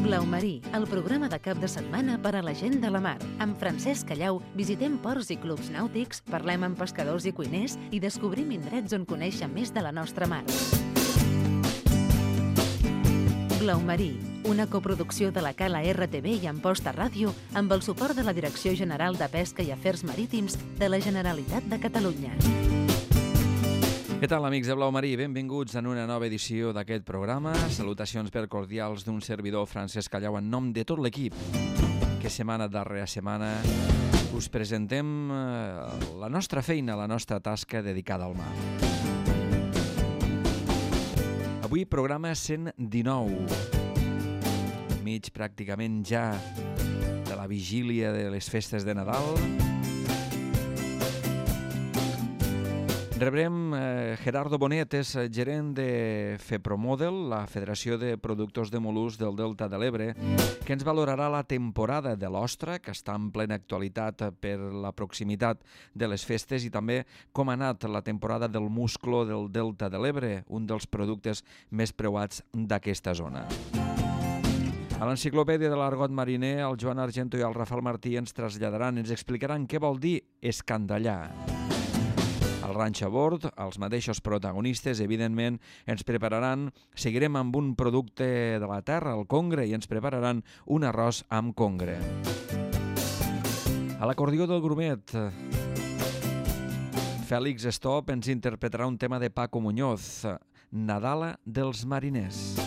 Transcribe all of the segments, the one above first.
Blau Marí, el programa de cap de setmana per a la gent de la mar. Amb Francesc Callau visitem ports i clubs nàutics, parlem amb pescadors i cuiners i descobrim indrets on conèixer més de la nostra mar. Blau Marí, una coproducció de la Cala RTV i Amposta Ràdio amb el suport de la Direcció General de Pesca i Afers Marítims de la Generalitat de Catalunya. Què tal, amics de Blau Marí? Benvinguts en una nova edició d'aquest programa. Salutacions per cordials d'un servidor, Francesc Callau, en nom de tot l'equip, que setmana darrere setmana us presentem la nostra feina, la nostra tasca dedicada al mar. Avui programa 119, mig pràcticament ja de la vigília de les festes de Nadal. Rebrem Gerardo Bonet, és gerent de FEPROMODEL, la Federació de Productors de Mol·luscs del Delta de l'Ebre, que ens valorarà la temporada de l'ostra, que està en plena actualitat per la proximitat de les festes, i també com ha anat la temporada del musclo del Delta de l'Ebre, un dels productes més preuats d'aquesta zona. A l'enciclopèdia de l'argot mariner, el Joan Argento i el Rafael Martí ens traslladaran, ens explicaran què vol dir escandallar. Al Ranxo a Bord, els mateixos protagonistes, evidentment, ens prepararan, seguirem amb un producte de la terra, el congre, i ens prepararan un arròs amb congre. A l'acordió del grumet, Fèlix Estop ens interpretarà un tema de Paco Muñoz, Nadala dels mariners.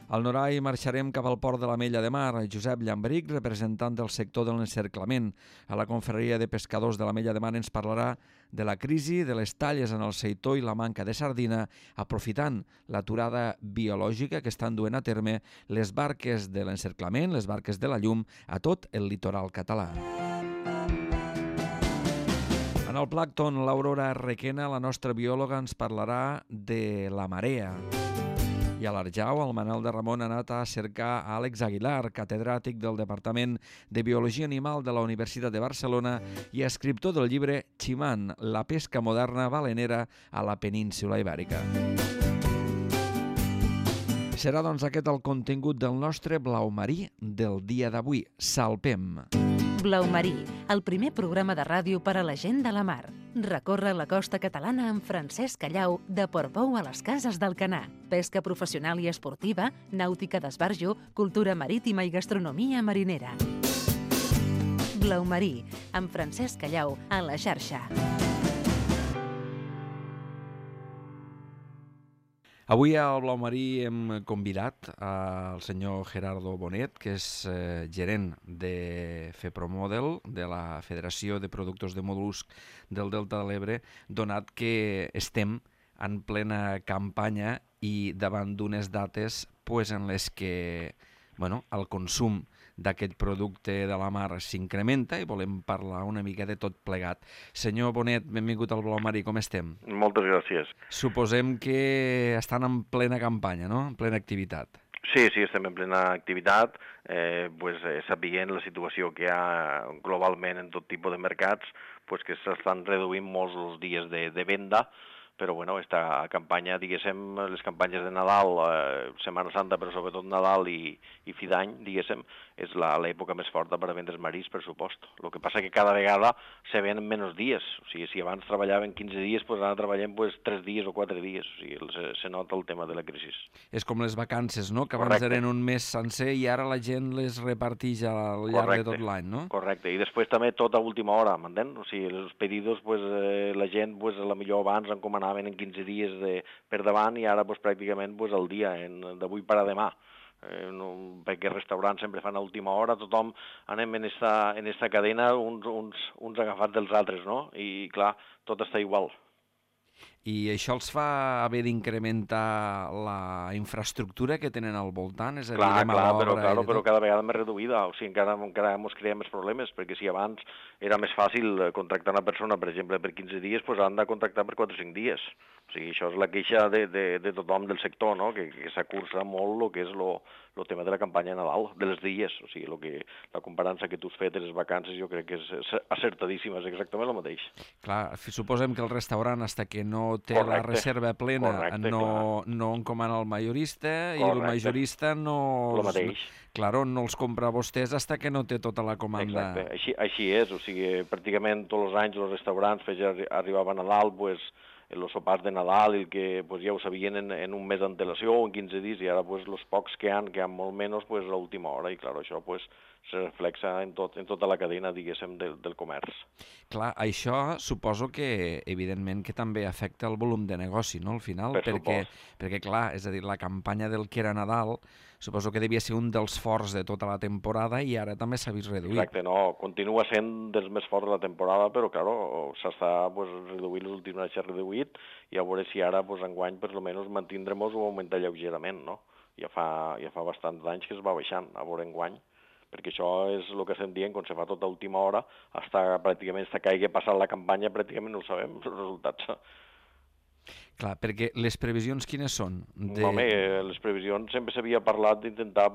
Al Norai marxarem cap al port de l'Ametlla de Mar. Josep Llambric, representant del sector de l'encerclament a la confraria de pescadors de l'Ametlla de Mar, ens parlarà de la crisi de les talles en el seitó i la manca de sardina, aprofitant l'aturada biològica que estan duent a terme les barques de l'encerclament, les barques de la llum, a tot el litoral català. En el plàncton, l'Aurora Requena, la nostra biòloga, ens parlarà de la marea. I a l'Arjau, el Manel de Ramon ha anat a cercar a Àlex Aguilar, catedràtic del Departament de Biologia Animal de la Universitat de Barcelona i escriptor del llibre Ximán, la pesca moderna balenera a la península Ibèrica. Serà, doncs, aquest el contingut del nostre Blau Marí del dia d'avui. Salpem! Blau Marí, el primer programa de ràdio per a la gent de la mar. Recorre la costa catalana amb Francesc Callau, de Portbou a les Cases d'Alcanar. Pesca professional i esportiva, nàutica d'esbarjo, cultura marítima i gastronomia marinera. Blau Marí, amb Francesc Callau, a la xarxa. Avui al Blau Marí hem convidat al senyor Gerardo Bonet, que és gerent de FEPROMODEL, de la Federació de Productors de Mol·luscs del Delta de l'Ebre, donat que estem en plena campanya i davant d'unes dates en les que el consum d'aquest producte de la mar s'incrementa i volem parlar una mica de tot plegat. Senyor Bonet, benvingut al Blau Marí, com estem? Moltes gràcies. Suposem que estan en plena campanya, no? En plena activitat. Sí, estem en plena activitat, sapiguent la situació que hi ha globalment en tot tipus de mercats, que s'estan reduint molts els dies de venda, però esta campanya, diguéssim, les campanyes de Nadal, Setmana Santa, però sobretot Nadal i fi d'any, diguéssim, és l'època més forta per a vendre marís, per supost. El que passa que cada vegada se ven menys dies, o sigui, si abans treballaven 15 dies, ara treballem 3 dies o 4 dies, o sigui, se nota el tema de la crisi. És com les vacances, no?, que abans eren un mes sencer i ara la gent les reparteix al llarg de tot l'any, no? Correcte, i després també tot a última hora, m'entén? O sigui, els pedidos, la gent, a la millor abans encomanaven en 15 dies per davant i ara pràcticament el dia, d'avui per a demà. Perquè els restaurants sempre fan a última hora, tothom anem en esta cadena uns agafats dels altres, no? I clar, tot està igual. I això els fa haver d'incrementar la infraestructura que tenen al voltant? És a dir, però cada vegada més reduïda, o sigui, encara ens creem més problemes, perquè si abans era més fàcil contractar una persona, per exemple, per 15 dies, han de contractar per 4 o 5 dies. O sigui, això és la queixa de tothom del sector, no?, que s'acurça molt el que és el tema de la campanya de Nadal, dels dies. O sigui, la comparança que tu has fet de les vacances jo crec que és acertadíssima, és exactament el mateix. Clar, suposem que el restaurant, fins que no comprador té la reserva plena, no encomana al majorista i el majorista no els compra a vostès fins que no té tota la comanda. Exacte, així és, o sigui, pràcticament tots els anys els restaurants arribaven a Nadal, els sopars de Nadal, que ja ho sabien en un mes d'antelació o en 15 dies, i ara els pocs que han molt menys a l'última hora, i clar, això se reflexa en tota la cadena, diguéssim, del comerç. Clar, això suposo que, evidentment, que també afecta el volum de negoci, no?, al final, perquè, clar, és a dir, la campanya del que era Nadal, suposo que devia ser un dels forts de tota la temporada i ara també s'ha vist reduït. Exacte, no, continua sent dels més forts de la temporada, però, clar, s'està reduint, els últims anys s'ha reduït, i a veure si ara, enguany, per almenys mantindrem o augmentar lleugerament, no? Ja fa bastants anys que es va baixant, a veure enguany, perquè això és el que estem dient, quan se fa tota última hora, pràcticament que hagi passat la campanya, pràcticament no ho sabem, els resultats. Clar, perquè les previsions quines són? Home, les previsions sempre s'havia parlat d'intentar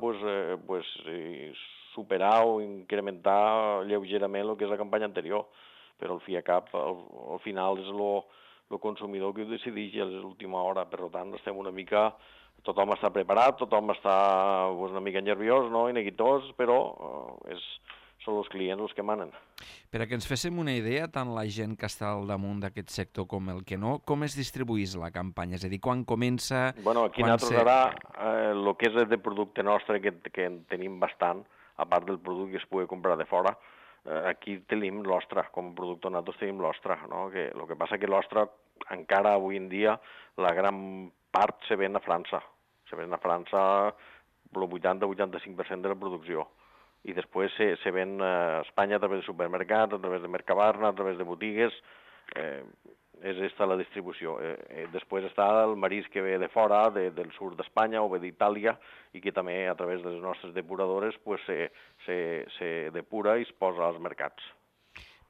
superar o incrementar lleugerament el que és la campanya anterior, però al fi i a cap, al final és el consumidor que ho decideix a l'última hora, per tant estem una mica... Tothom està preparat, tothom està una mica nerviós, no?, i neguitós, però són els clients els que manen. Per a que ens féssim una idea, tant la gent que està al damunt d'aquest sector com el que no, com es distribuís la campanya? És a dir, quan comença... Bueno, aquí nosaltres ara, el que és de producte nostre, que en tenim bastant, a part del producte que es pugui comprar de fora, aquí tenim l'ostra, com a productor nosaltres tenim l'ostra, no? El que passa que l'ostra, encara avui en dia, la gran part se ven a França. Se ven a França el 80-85% de la producció. I després se ven a Espanya a través de supermercats, a través de Mercabarna, a través de botigues. És aquesta la distribució. Després està el marisc que ve de fora, del sud d'Espanya o ve d'Itàlia, i que també a través de les nostres depuradores se depura i es posa als mercats.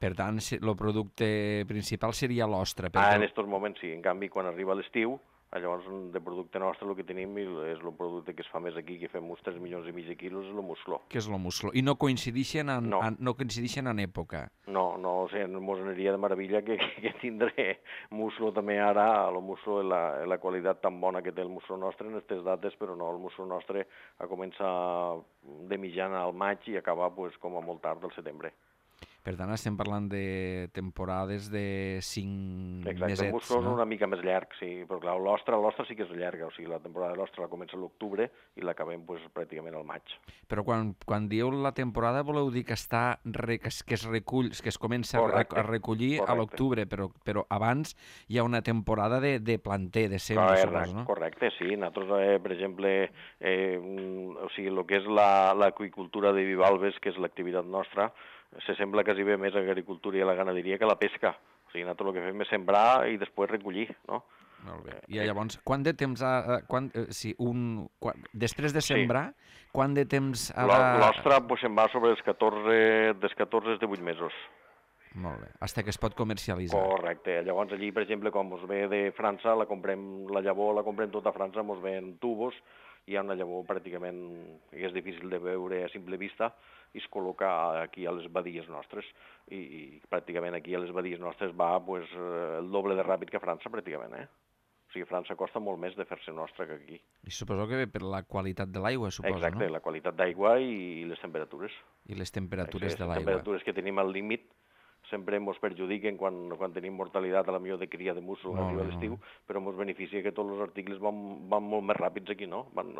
Per tant, el producte principal seria l'ostra. En aquests moments sí. En canvi, quan arriba l'estiu, llavors de producte nostre el que tenim és el producte que es fa més aquí, que fem uns 3,5 milions de quilos, és el musclo. Que és el musclo. I no coincideixen en època? No, o sigui, mos aniria de meravella que tindré musclo també ara, el musclo la qualitat tan bona que té el musclo nostre en aquestes dates, però no, el musclo nostre comença de mitjana al maig i acaba com a molt tard del setembre. Per tant, estem parlant de temporades de 5 mesets, no? El musclo és una mica més llarg, sí, però clar, l'ostra sí que és llarga, o sigui, la temporada de l'ostra la comença a l'octubre i l'acabem pràcticament al maig. Però quan dieu la temporada voleu dir que que es recull, que es comença a recollir a l'octubre, però abans hi ha una temporada de planter, de sembra, suposo, no? Correcte, sí. Nosaltres, per exemple, o sigui, el que és l'aqüicultura de bivalves, que és l'activitat nostra, se sembla quasi bé més a l'agricultura i a la ganaderia que a la pesca. O sigui, nosaltres el que fem és sembrar i després recollir, no? Molt bé. I llavors, quant de temps després de sembrar, quant de temps ha de... L'ostra se'n va sobre els 14 de 8 mesos. Molt bé, fins que es pot comercialitzar. Correcte. Llavors allí, per exemple, quan ens ve de França, la llavor la comprem tota a França, ens ve en tubos, hi ha una llavor pràcticament que és difícil de veure a simple vista, i es col·loca aquí a les badies nostres, i pràcticament aquí a les badies nostres va el doble de ràpid que a França, pràcticament, O sigui, a França costa molt més de fer-se nostra que aquí. I suposo que ve per la qualitat de l'aigua, suposo, no? Exacte, la qualitat d'aigua i les temperatures. I les temperatures de l'aigua. Les temperatures que tenim al límit sempre ens perjudiquen quan tenim mortalitat a la millor de cria de musclo a l'estiu, però ens beneficia que tots els articles van molt més ràpids aquí, no? Van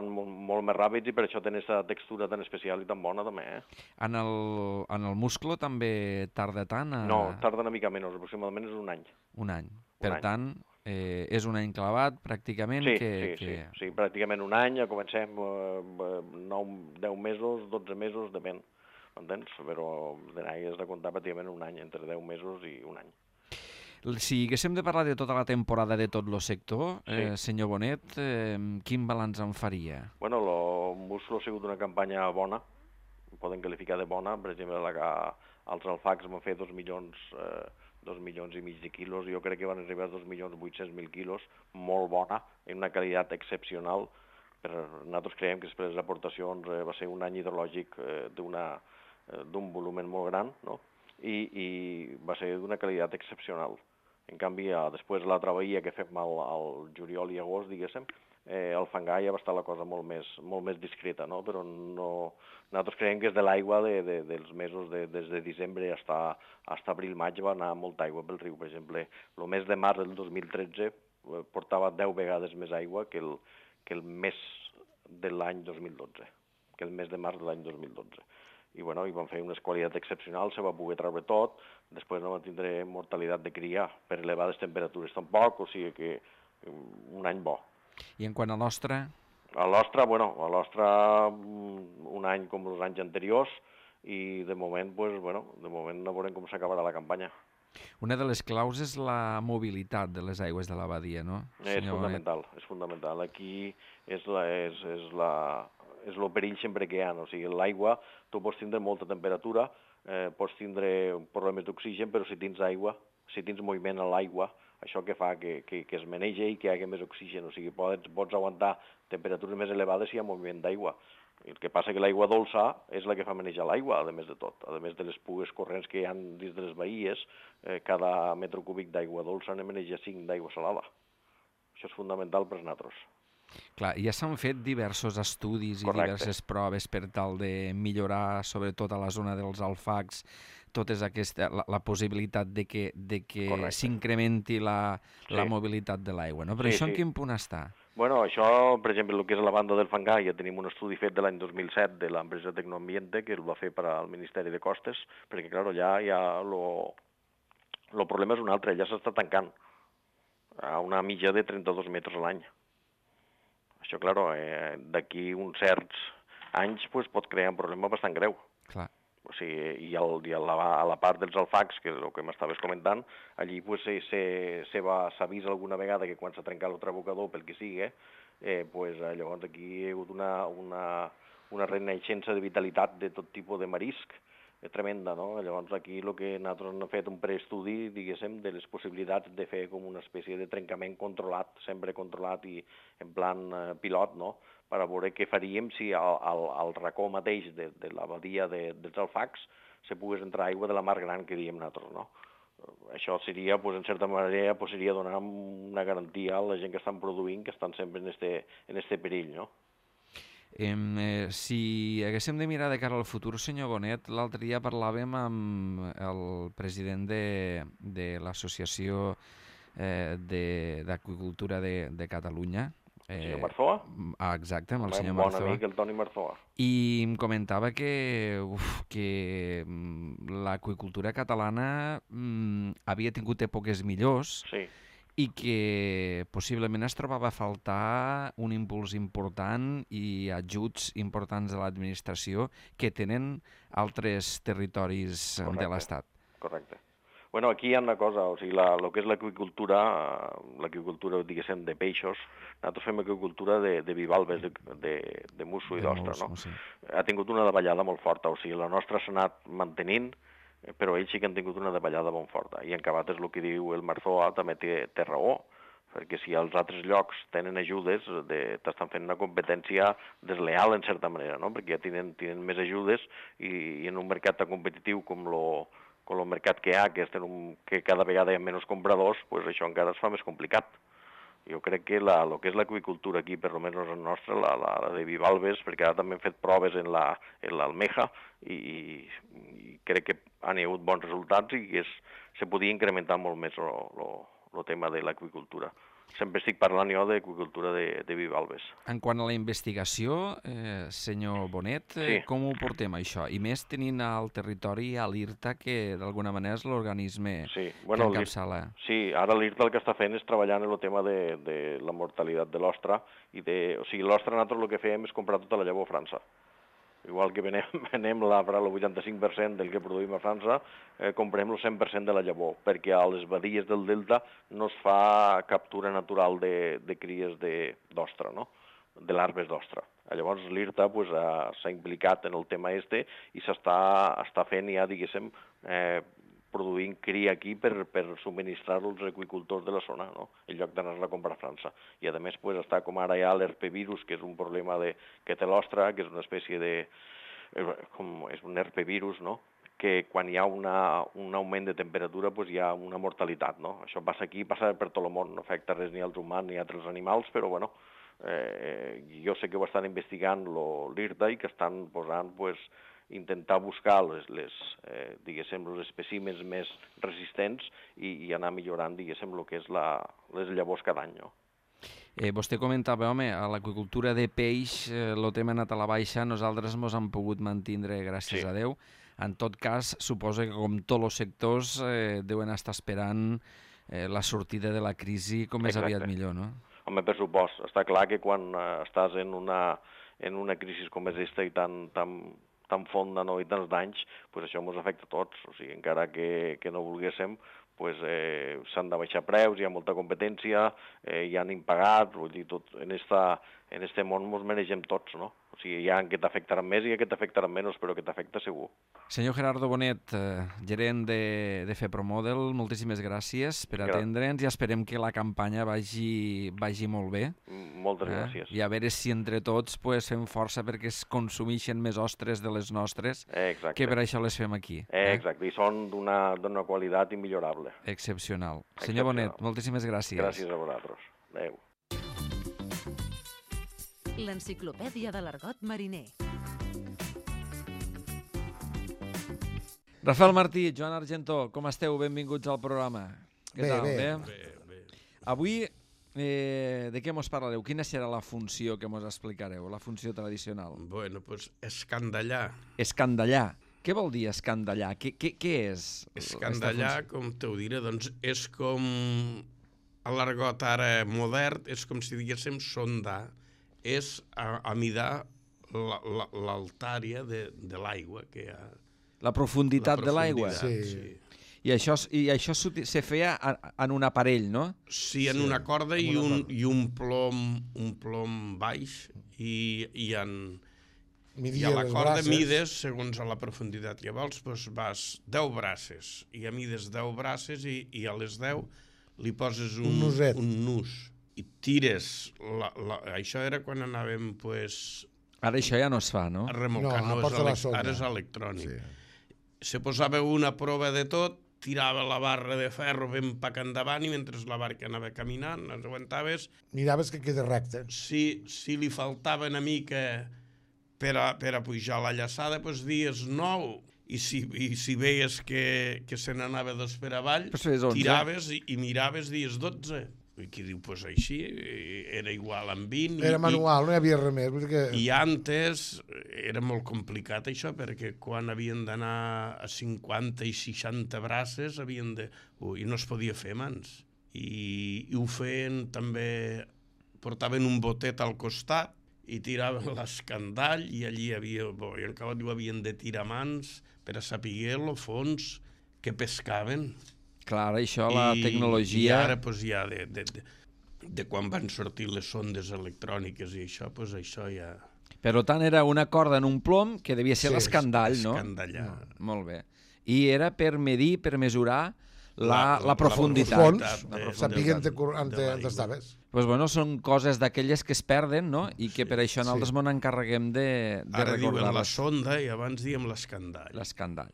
molt més ràpids i per això tenen aquesta textura tan especial i tan bona també, En el musclo també tarda tant? No, tarda una mica menys, aproximadament és un any. Un any. Per tant, és un any clavat, pràcticament? Sí, pràcticament un any, ja comencem 10 mesos, 12 mesos, depèn, m'entens? Però has de comptar pràcticament un any, entre 10 mesos i un any. Si haguéssim de parlar de tota la temporada de tot el sector, senyor Bonet, quin balanç en faria? Bueno, el musclo ha sigut una campanya bona, poden qualificar de bona, per exemple, els alfacs van fer 2 milions i mig de quilos, jo crec que van arribar a 2.800.000 quilos, molt bona, en una qualitat excepcional. Nosaltres creiem que després de les aportacions va ser un any hidrològic d'un volum molt gran, no? I va ser d'una qualitat excepcional. En canvi, després la traveïa que fem al juliol i agost, diguéssim, al fangar ja va estar la cosa molt més discreta, no? Però nosaltres creiem que és de l'aigua dels mesos des de desembre fins a abril-maig va anar molta aigua pel riu. Per exemple, el mes de març del 2013 portava 10 vegades més aigua que el mes de l'any 2012, que el mes de març de l'any 2012. I bueno, hi van fer unes qualitats excepcionals, se va poder treure tot, després no va tindre mortalitat de cria per elevades temperatures tampoc, o sigui que un any bo. I en quant a l'ostra? A l'ostra, un any com els anys anteriors, i de moment, no veurem com s'acabarà la campanya. Una de les claus és la mobilitat de les aigües de la badia, no? És fundamental. Aquí és el perill sempre que hi ha. O sigui, l'aigua, tu pots tindre molta temperatura, pots tindre problemes d'oxigen, però si tens aigua, si tens moviment a l'aigua, això que fa que es menegi i que hi hagi més oxigen. O sigui, pots aguantar temperatures més elevades si hi ha moviment d'aigua. El que passa que l'aigua dolça és la que fa manejar l'aigua, a més de tot. A més de les pugues corrents que hi ha dins de les bahies, cada metre cúbic d'aigua dolça ne maneja 5 d'aigua salada. Això és fundamental per nosaltres. Clar, ja s'han fet diversos estudis i diverses proves per tal de millorar, sobretot a la zona dels alfacs, la possibilitat de que s'incrementi la mobilitat de l'aigua, no? Però això en quin punt està? Bueno, això, per exemple, el que és la banda del fangar, ja tenim un estudi fet de l'any 2007 de l'empresa Tecnoambiente, que el va fer per al Ministeri de Costes, perquè, clar, ja el problema és un altre, ja s'està tancant a una mitja de 32 metres a l'any. Això, clar, d'aquí uns certs anys pot crear un problema bastant greu. Clar. O sigui, a la part dels alfacs, que és el que m'estaves comentant, allí s'ha vist alguna vegada que quan s'ha trencat el trabocador, pel que sigui, llavors aquí hi ha hagut una renaixença de vitalitat de tot tipus de marisc, tremenda, no? Llavors aquí el que nosaltres hem fet un preestudi, diguéssim, de les possibilitats de fer com una espècie de trencament controlat, sempre controlat i en plan pilot, no?, per a veure què faríem si al racó mateix de la badia dels alfacs se pogués entrar aigua de la mar gran que diem nosaltres, no? Això seria, en certa manera, seria donar una garantia a la gent que estan produint, que estan sempre en este perill, no? Si haguéssim de mirar de cara al futur, senyor Bonet, l'altre dia parlàvem amb el president de l'Associació d'Aqüicultura de Catalunya, el senyor Marzoa? Exacte, amb el senyor Marzoa. Un bon amic, el Toni Marzoa. I em comentava que l'aqüicultura catalana havia tingut èpoques millors i que possiblement es trobava a faltar un impuls important i ajuts importants de l'administració que tenen altres territoris de l'Estat. Correcte. Bueno, aquí hi ha una cosa, o sigui, el que és l'aqüicultura, diguéssim, de peixos, nosaltres fem aquacultura de bivalves, de musso i d'ostra, no? Sí. Ha tingut una davallada molt forta, o sigui, la nostra s'ha anat mantenint, però ells sí que han tingut una davallada molt forta. I en acabat és el que diu el Marzoa, també té raó, perquè si als altres llocs tenen ajudes, t'estan fent una competència desleal, en certa manera, no? Perquè ja tenen més ajudes i en un mercat tan competitiu com el mercat que hi ha, que cada vegada hi ha menys compradors, això encara es fa més complicat. Jo crec que el que és l'aqüicultura aquí, per almenys la nostra, la de bivalves, perquè ara també hem fet proves en l'almeja i crec que han hagut bons resultats i que se podia incrementar molt més el tema de l'aqüicultura. Sempre estic parlant jo d'aqüicultura de bivalves. En quant a la investigació, senyor Bonet, com ho portem això? I més tenint al territori a l'IRTA, que d'alguna manera és l'organisme que encapçala. Sí, ara l'IRTA el que està fent és treballar en el tema de la mortalitat de l'ostra. O sigui, l'ostra nosaltres el que fem és comprar tota la llavor a França. Igual que venem el 85% del que produïm a França, comprem el 100% de la llavor, perquè a les badies del delta no es fa captura natural de cries d'ostra, no?, de larves d'ostra. Llavors l'IRTA s'ha implicat en el tema i s'està fent ja, diguéssim, produint cria aquí per subministrar-lo als aqüicultors de la zona, no?, en lloc d'anar-la a comprar a França. I a més està com ara ja l'herpevirus, que és un problema que té l'ostra, que és una espècie és un herpevirus, no?, que quan hi ha un augment de temperatura hi ha una mortalitat, no? Això passa aquí, passa per tot el món, no afecta res ni als humans ni a altres animals, però bueno, jo sé que ho estan investigant l'IRTA i que estan posant intentar buscar diguéssim, els espècimens més resistents i anar millorant, diguéssim, el que és les llavors cada any, no? Vostè comentava, home, a l'aqüicultura de peix el tema ha anat a la baixa, nosaltres ens hem pogut mantenir, gràcies a Déu. En tot cas, suposo que com tots els sectors deuen estar esperant la sortida de la crisi com més aviat millor, no? Home, per supost. Està clar que quan estàs en una crisi com és aquesta i tan fonda, no, i tants danys, això ens afecta a tots. O sigui, encara que no volguéssim, s'han de baixar preus, hi ha molta competència, hi han impagat, vull dir, tot en este món ens manegem tots, no? O sigui, hi ha que t'afectaran més i que t'afectaran menys, però que t'afecta segur. Senyor Gerardo Bonet, gerent de FEPROMODEL, moltíssimes gràcies per atendre'ns i esperem que la campanya vagi molt bé. Moltes gràcies. I a veure si entre tots fem força perquè es consumeixen més ostres de les nostres, que per això les fem aquí. Exacte, i són d'una qualitat immillorable. Excepcional. Senyor Bonet, moltíssimes gràcies. Gràcies a vosaltres. Adéu. L'enciclopèdia de l'argot mariner. Rafael Martí, Joan Argentó, com esteu? Benvinguts al programa. Què tal? Bé. Avui, de què mos parlareu? Quina serà la funció que mos explicareu, la funció tradicional? Bueno, doncs escandallar. Escandallar. Què vol dir escandallar? Què és? Escandallar, com te ho diré, doncs és com a l'argot ara modern, és com si diguéssim sondar, és a midar l'altària de l'aigua que hi ha. La profunditat de l'aigua? Sí. I això se feia en un aparell, no? Sí, en una corda i un plom baix i a la corda mides segons a la profunditat que vols, doncs vas 10 braces i a mides 10 braces i a les 10 li poses un nus i tires, això era quan anàvem Ara això ja no es fa, no? A remolcar, ara és electrònic. Se posava una prova de tot, tirava la barra de ferro ben pac endavant i mentre la barca anava caminant, les aguantaves. Miraves que queda recte. Si li faltava una mica per a pujar la llaçada, doncs dies 9. I si veies que se n'anava 2 per avall, tiraves i miraves dies 12. I qui diu, doncs així, era igual amb 20. Era manual, no hi havia res més. I antes era molt complicat això, perquè quan havien d'anar a 50 i 60 braces, i no es podia fer mans. I ho feien també, portaven un botet al costat i tiraven l'escandall i allí hi havia, i encara havien de tirar mans per a saber el fons que pescaven. Clar, això, la tecnologia... I ara, doncs, ja, de quan van sortir les sondes electròniques i això, doncs això ja... Per tant, era una corda en un plom que devia ser l'escandall, no? Escandallar. Molt bé. I era per medir, per mesurar la profunditat. Sapiguen on estaves. Doncs bueno, són coses d'aquelles que es perden, no? I que per això nosaltres ens encarreguem de recordar-les. Ara diuen la sonda i abans diem l'escandall. L'escandall.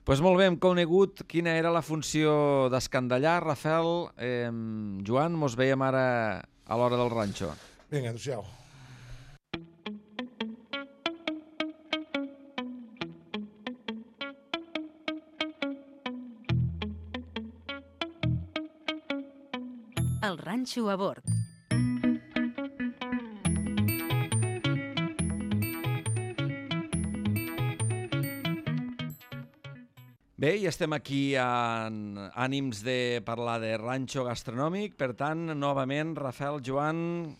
Doncs molt bé, hem conegut quina era la funció d'escandallar. Rafael, Joan, mos veiem ara a l'hora del ranxo. Vinga, adéu-siau. El ranxo a bord. Bé, i estem aquí en ànims de parlar de ranxo gastronòmic, per tant, novament, Rafael, Joan,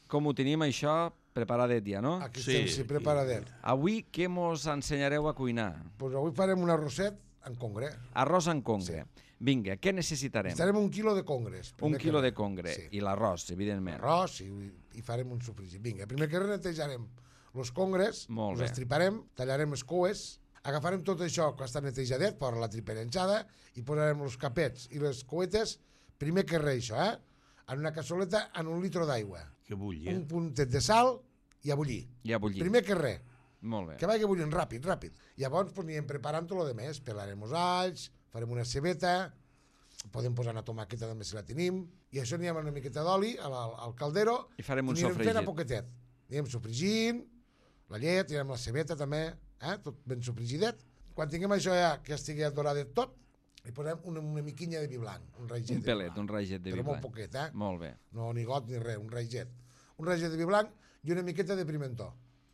com ho tenim això preparadet ja, no? Aquí estem, sí, preparadet. Avui què mos ensenyareu a cuinar? Doncs avui farem un arrosset en congre. Arròs en congre. Vinga, què necessitarem? Necessitarem 1 quilo de congres. Un quilo de congre. I l'arròs, evidentment. L'arròs i farem un sofregit. Vinga, primer que netejarem els congres, els estriparem, tallarem les coues, agafarem tot això que està netejadet, per la triperenjada, i posarem els capets i les couetes, primer que res això, en una cassoleta amb 1 litre d'aigua. Que bulli, Un puntet de sal i a bullir. I a bullir. Primer que res. Molt bé. Que vagi bullint ràpid. Llavors anirem preparant tot el més. Pelarem els alls, farem una cebeta, podem posar una tomàqueta també si la tenim, i això anirem una miqueta d'oli al caldero i farem un anirem sofregit. fent a poquetet. Anirem sofregint, la llet, tirem la cebeta també, tot ben sofregidet. Quan tinguem això ja que estigui doradet tot, li posem una miquinya de vi blanc, un raget. Un pelet, un raget de vi blanc. Però molt poquet, Molt bé. No ni got ni res, un raget. Un raget de vi blanc i una miqueta de pimentó.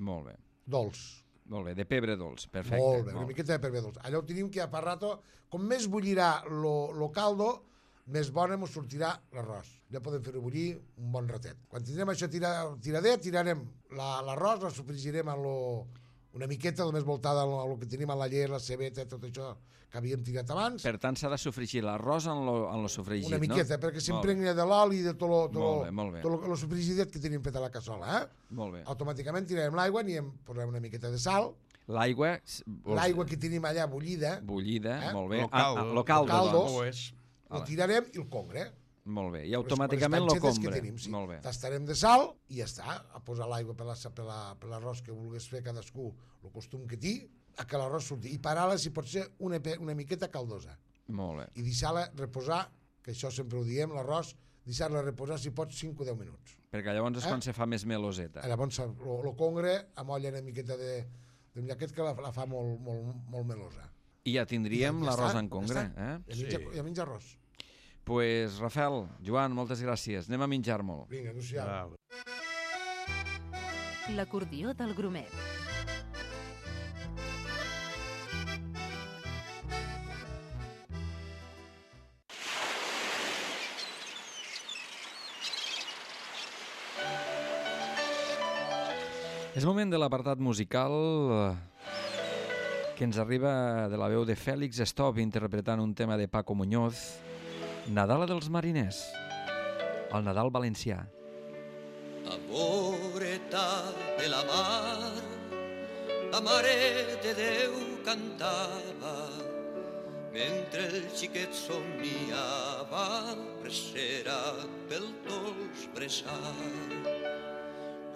Molt bé. Dolç. Molt bé, de pebre dolç, perfecte. Molt bé, una miqueta de pebre dolç. Allò ho tenim que a per rato, com més bullirà lo caldo, més bona ens sortirà l'arròs. Ja podem fer-ho bullir un bon ratet. Quan tindrem això tiradet, tirarem l'arròs, la sofregirem una miqueta, només voltada al que tenim a la llet, la cebeta, tot això que havíem tirat abans. Per tant, s'ha de sofregir l'arròs en lo sofregit, una miqueta, no? perquè s'impregna de l'oli i de tot molt bé. el sofregidet que tenim fet a la cassola. Molt bé. Automàticament tirarem l'aigua, posarem una miqueta de sal. L'aigua que tenim allà bullida. Molt bé. Lo caldo. Ho tirarem i el congre. Molt bé, i automàticament lo congre. Molt bé. Tastarem de sal i ja està. A posar l'aigua per l'arròs que vulguis fer cadascú, el costum que té, a que l'arròs surti. I parar-la, si pot ser, una miqueta caldosa. Molt bé. I deixar-la reposar, que això sempre ho diem, l'arròs, deixar-la reposar, si pots, 5 o 10 minuts. Perquè llavors és quan se fa més meloseta. Llavors el congre amolla una miqueta de aquest que la fa molt melosa. I ja tindríem l'arròs en congre. Ja menja arròs. Pues, Rafael, Joan, moltes gràcies. Anem a menjar-me'l. Vinga, anunciam. L'acordió del Grumet. És moment de l'apartat musical que ens arriba de la veu de Fèlix Stop interpretant un tema de Paco Muñoz, Nadala dels mariners, el Nadal valencià. Amoreta de la mar, la mare de Déu cantava, mentre el xiquet somniava, presserat pel dolç bressar.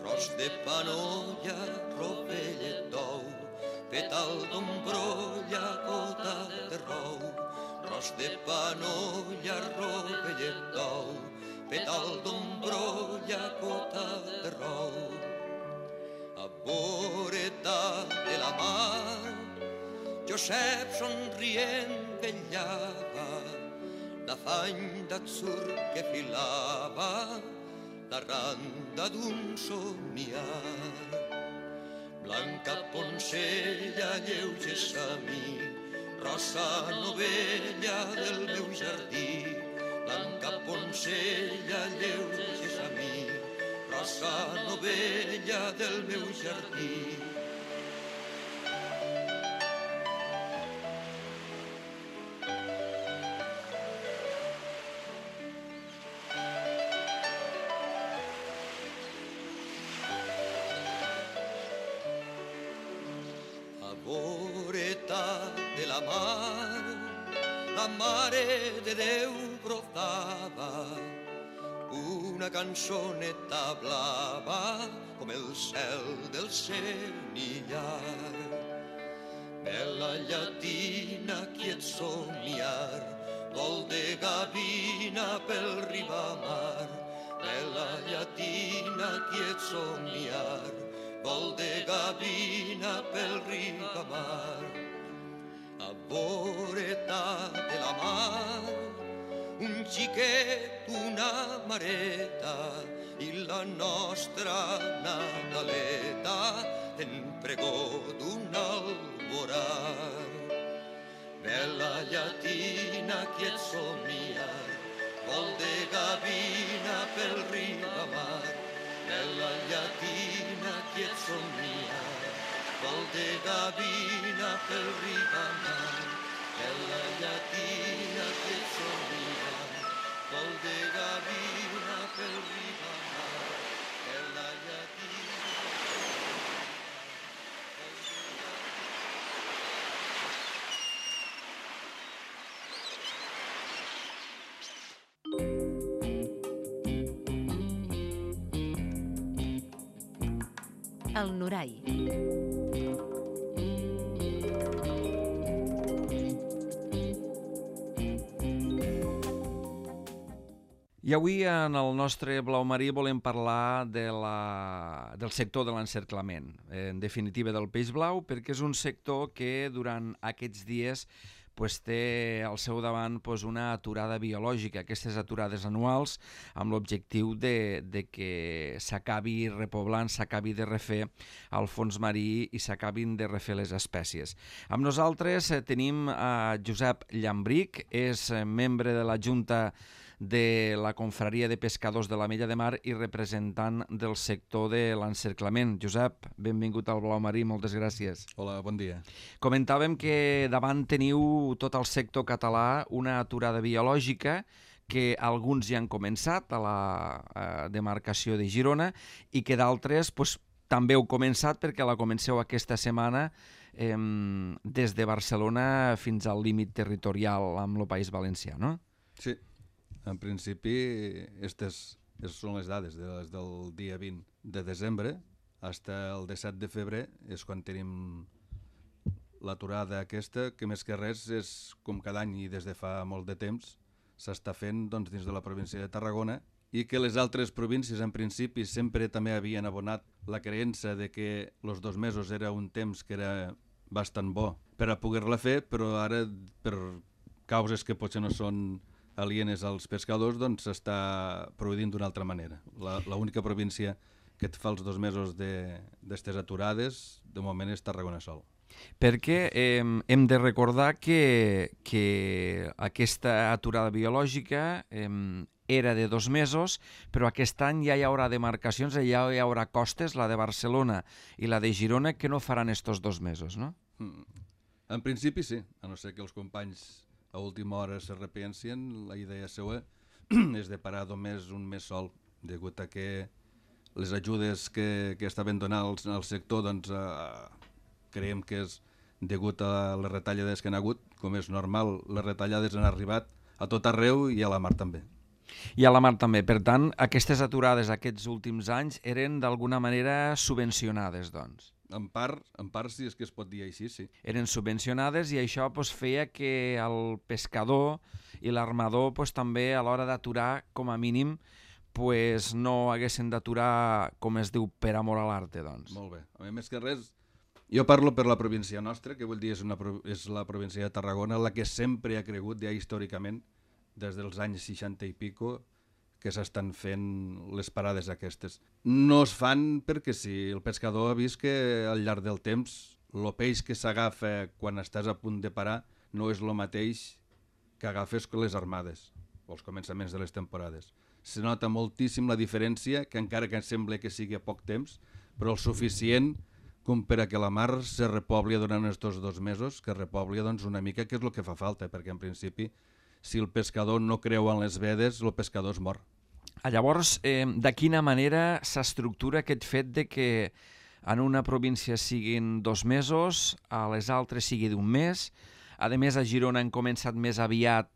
Ros de panolla, rovellet d'ou, petal d'ombrolla, gota de rou. Ros de panolla, rovellet d'ou, petal d'ombrolla, gota de rou. A voreta de la mar, Josep somrient vetllava, l'afany d'atzur que filava, la randa d'un somniar. Blanca poncella, lleuge samí, rosa novella del meu jardí. Blanca poncella, lleuge samí, rosa novella del meu jardí. De la mar, la mare de Déu brotava una cançoneta blava com el cel del senillar. Bella llatina, quiet somniar, vol de gavina pel ribamar. Bella llatina, quiet somniar, vol de gavina pel ribamar. A voreta de la mar, un xiquet, una mareta, i la nostra Nadaleta en pregó d'un alborar. Bella llatina, quiet somniar, vol de gavina pel ribamar. Bella llatina, quiet somniar, vol de gavina pel ribamar. Bella llatina, quiet somniar, vol de gavina pel ribamar. Bella llatina. El Norai. I avui en el nostre Blau Marí volem parlar del sector de l'encerclament, en definitiva del peix blau, perquè és un sector que durant aquests dies té al seu davant una aturada biològica, aquestes aturades anuals, amb l'objectiu de que s'acabi repoblant, s'acabi de refer el fons marí i s'acabin de refer les espècies. Amb nosaltres tenim a Josep Llambric, és membre de la Junta de la Confraria de Pescadors de la Mella de Mar i representant del sector de l'encerclament. Josep, benvingut al Blau Marí, moltes gràcies. Hola, bon dia. Comentàvem que davant teniu tot el sector català una aturada biològica que alguns ja han començat a la demarcació de Girona i que d'altres també heu començat perquè la comenceu aquesta setmana des de Barcelona fins al límit territorial amb el País Valencià, no? Sí. En principi, aquestes són les dades des del dia 20 de desembre fins al 17 de febrer, és quan tenim l'aturada aquesta, que més que res és com cada any i des de fa molt de temps s'està fent dins de la província de Tarragona i que les altres províncies en principi sempre també havien abonat la creença de que els 2 mesos era un temps que era bastant bo per a poder-la fer, però ara per causes que potser no són alienes als pescadors, doncs s'està produint d'una altra manera. L'única província que et fa els 2 mesos d'estes aturades, de moment és Tarragona sol. Perquè hem de recordar que aquesta aturada biològica era de 2 mesos, però aquest any ja hi haurà demarcacions, ja hi haurà costes, la de Barcelona i la de Girona, que no faran estos 2 mesos, no? En principi sí, a no ser que els companys a última hora s'arrepencien, la idea seva és de parar només un mes sol, degut a que les ajudes que estaven donant al sector, doncs creiem que és degut a les retallades que han hagut, com és normal, les retallades han arribat a tot arreu i a la mar també. I a la mar també. Per tant, aquestes aturades aquests últims anys eren d'alguna manera subvencionades, doncs. En part sí, és que es pot dir així, sí. Eren subvencionades i això feia que el pescador i l'armador també a l'hora d'aturar, com a mínim, no haguessin d'aturar, com es diu, per amor a l'arte, doncs. Molt bé. A més que res, jo parlo per la província nostra, que vull dir és la província de Tarragona, la que sempre ha cregut, ja històricament, des dels anys 60 i pico, que s'estan fent les parades aquestes. No es fan perquè sí, el pescador ha vist que al llarg del temps el peix que s'agafa quan estàs a punt de parar no és el mateix que agafes que les armades o els començaments de les temporades. Se nota moltíssim la diferència, que encara que sembla que sigui a poc temps, però el suficient com per a que la mar se repobli durant aquests 2 mesos, que repobli doncs, una mica, que és el que fa falta, perquè en principi si el pescador no creu en les vedes, el pescador es mor. Llavors, de quina manera s'estructura aquest fet de que en una província siguin 2 mesos, a les altres sigui d'1 mes? A més, a Girona han començat més aviat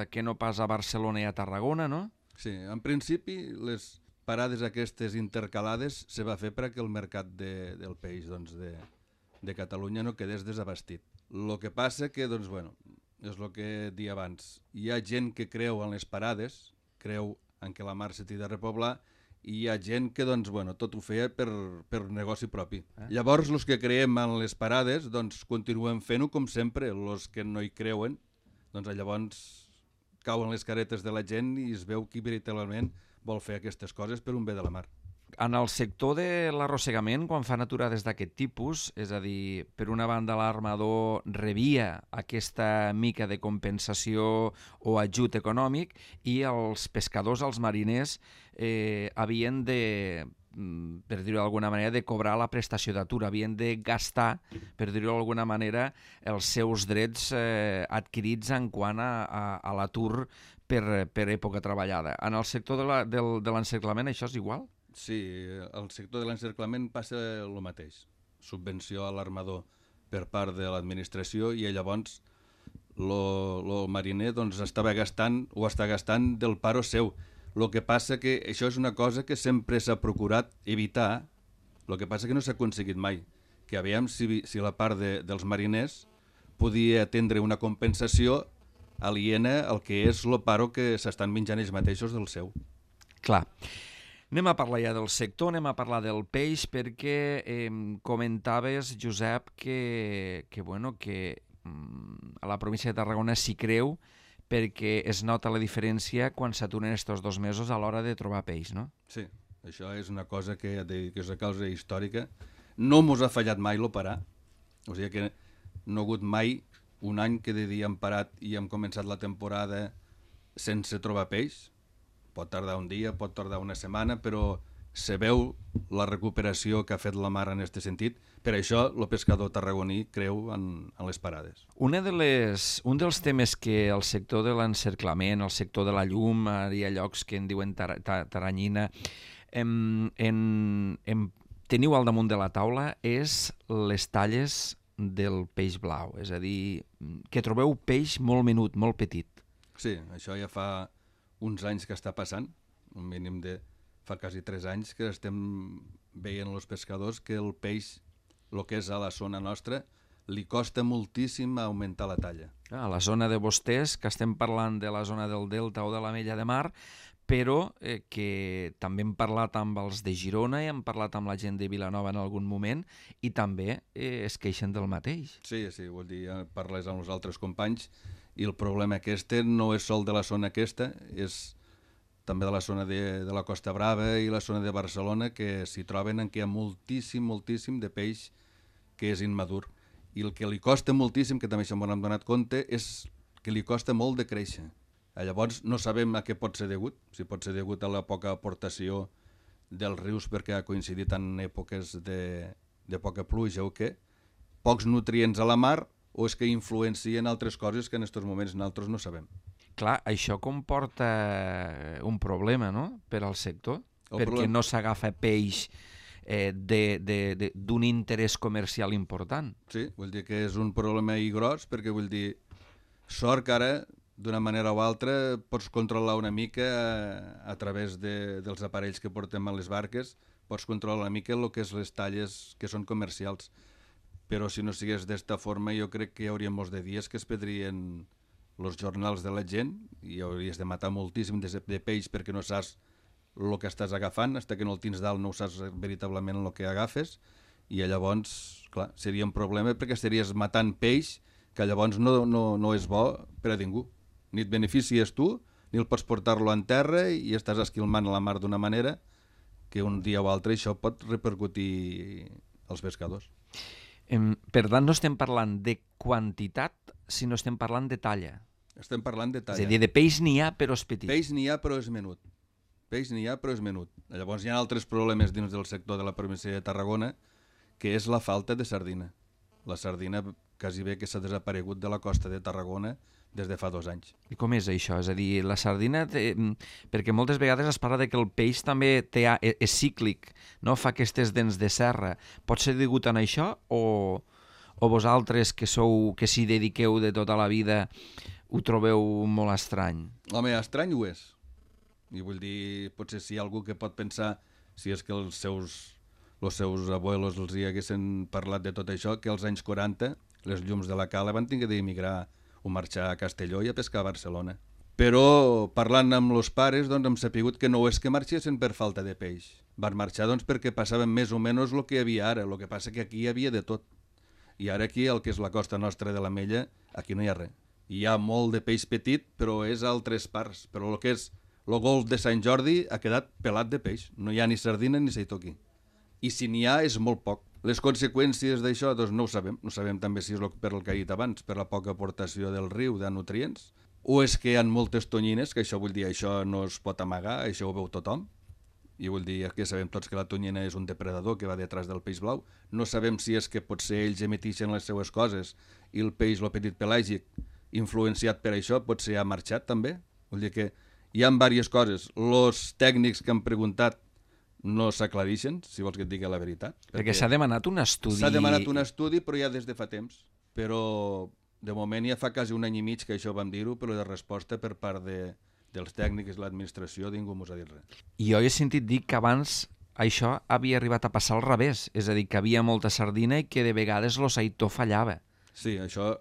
que no pas a Barcelona i a Tarragona, no? Sí, en principi les parades aquestes intercalades se va fer perquè el mercat del peix de Catalunya no quedés desabastit. El que passa que, doncs, bueno, és el que dia abans. Hi ha gent que creu en les parades, creu en què la mar se t'hi de repoblar, i hi ha gent que doncs, bueno, tot ho feia per negoci propi. Llavors, els que creiem en les parades, doncs, continuem fent-ho com sempre. Els que no hi creuen, doncs, llavors cauen les caretes de la gent i es veu qui veritablement vol fer aquestes coses per un bé de la mar. En el sector de l'arrossegament, quan fan aturades d'aquest tipus, és a dir, per una banda l'armador rebia aquesta mica de compensació o ajut econòmic i els pescadors, els mariners, havien de, per dir-ho d'alguna manera, de cobrar la prestació d'atur, havien de gastar, per dir-ho d'alguna manera, els seus drets adquirits en quant a l'atur per època treballada. En el sector de l'encerclament això és igual? Sí, al sector de l'encerclament passa el mateix. Subvenció a l'armador per part de l'administració i llavors el mariner doncs, estava gastant o està gastant del paro seu. El que passa que això és una cosa que sempre s'ha procurat evitar, el que passa que no s'ha aconseguit mai. Que aviam si la part dels mariners podia atendre una compensació aliena el que és el paro que s'estan menjant ells mateixos del seu. Clar. Anem a parlar ja del sector, anem a parlar del peix, perquè comentaves, Josep, que a la província de Tarragona s'hi creu perquè es nota la diferència quan s'aturen estos 2 mesos a l'hora de trobar peix, no? Sí, això és una cosa que és una causa històrica. No mos ha fallat mai l'operar, o sigui que no ha hagut mai un any que de dia hem parat i hem començat la temporada sense trobar peix. Pot tardar un dia, pot tardar una setmana, però se veu la recuperació que ha fet la mar en aquest sentit. Per això el pescador tarragoní creu en les parades. Un dels temes que el sector de l'encerclament, el sector de la llum, hi ha llocs que en diuen taranyina, teniu al damunt de la taula és les talles del peix blau, és a dir, que trobeu peix molt menut, molt petit. Sí, això ja fa uns anys que està passant, un mínim de fa quasi 3 anys que estem veient els pescadors que el peix, el que és a la zona nostra, li costa moltíssim augmentar la talla. A la zona de vostès, que estem parlant de la zona del Delta o de la Mella de Mar, però que també hem parlat amb els de Girona i hem parlat amb la gent de Vilanova en algun moment i també es queixen del mateix. Sí, vol dir, parles amb els altres companys i el problema aquest no és sol de la zona aquesta, és també de la zona de la Costa Brava i la zona de Barcelona, que s'hi troben en què hi ha moltíssim de peix que és immadur. I el que li costa moltíssim, que també això m'ho hem donat compte, és que li costa molt de créixer. Llavors no sabem a què pot ser degut, si pot ser degut a la poca aportació dels rius perquè ha coincidit en èpoques de poca pluja o què, pocs nutrients a la mar, o és que influencien altres coses que en aquests moments nosaltres no sabem. Clar, això comporta un problema, no?, per al sector, perquè no s'agafa peix d'un interès comercial important. Sí, vull dir que és un problema i gros, perquè vull dir, sort que ara, d'una manera o altra, pots controlar una mica a través dels aparells que portem a les barques, pots controlar una mica el que és les talles que són comercials. Però si no sigués d'esta forma, jo crec que hi hauria molts de dies que es perdrien els jornals de la gent i hauries de matar moltíssim de peix perquè no saps el que estàs agafant, fins que no el tens dalt no saps veritablement el que agafes, i llavors, clar, seria un problema perquè estaries matant peix que llavors no és bo per a ningú. Ni et beneficies tu, ni el pots portar-lo en terra i estàs esquilmant la mar d'una manera que un dia o altre això pot repercutir als pescadors. Per tant, no estem parlant de quantitat, sinó estem parlant de talla. Estem parlant de talla. És a dir, de peix n'hi ha, però és petit. Peix n'hi ha, però és menut. Llavors hi ha altres problemes dins del sector de la província de Tarragona, que és la falta de sardina. La sardina quasi bé que s'ha desaparegut de la costa de Tarragona des de fa 2 anys. I com és això? És a dir, la sardina, perquè moltes vegades es parla de que el peix també és cíclic, no? Fa aquestes dents de serra. Pot ser degut a això o vosaltres que s'hi dediqueu de tota la vida ho trobeu molt estrany? Home, estrany ho és. I vull dir, potser si hi ha algú que pot pensar, si és que els seus abuelos els hi haguessin parlat de tot això, que als anys 40 les llums de la cala van haver d'emigrar o marxar a Castelló i a pescar a Barcelona. Però parlant amb els pares doncs, hem sapigut que no és que marxessin per falta de peix. Van marxar doncs, perquè passaven més o menys el que hi havia ara, el que passa que aquí hi havia de tot. I ara aquí, el que és la costa nostra de la Mella, aquí no hi ha res. Hi ha molt de peix petit, però és a altres parts. Però el que és el golf de Sant Jordi ha quedat pelat de peix. No hi ha ni sardina ni seitó aquí. I si n'hi ha és molt poc. Les conseqüències d'això doncs no ho sabem. No sabem també si és per el que he dit abans, per la poca aportació del riu de nutrients, o és que hi ha moltes tonyines, que això vull dir, això no es pot amagar, això ho veu tothom. I vull dir que sabem tots que la tonyina és un depredador que va detrás del peix blau. No sabem si és que potser ells emetixen les seues coses i el peix, el petit pelàgic, influenciat per això, potser ha marxat també. Vull dir que hi ha diverses coses. Els tècnics que han preguntat no s'aclarixen, si vols que et digui la veritat. Perquè s'ha demanat un estudi... S'ha demanat un estudi, però ja des de fa temps. Però de moment ja fa quasi 1 any i mig que això vam dir-ho, però de resposta per part dels tècnics i l'administració ningú mos ha dit res. I jo he sentit dir que abans això havia arribat a passar al revés, és a dir, que havia molta sardina i que de vegades lo seitó fallava. Sí, això